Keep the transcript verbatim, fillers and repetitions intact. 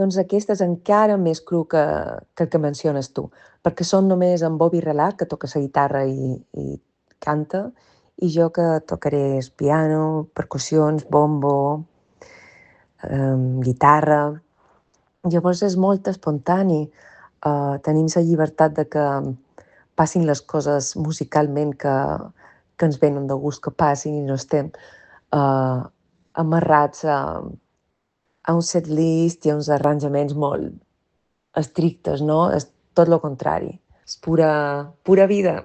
Doncs aquest és encara més cru que que el que menciones tu, perquè són només en Bobby Relat, que toca la guitarra i i canta, i jo que tocaré el piano, percussions, bombo, em, guitarra. Llavors és molt espontani, eh, tenim la llibertat de que passin les coses musicalment que, que ens venen de gust que passin i no estem eh, amarrats a, a un setlist i a uns arranjaments molt estrictes, no? És tot el contrari. És pura, pura vida.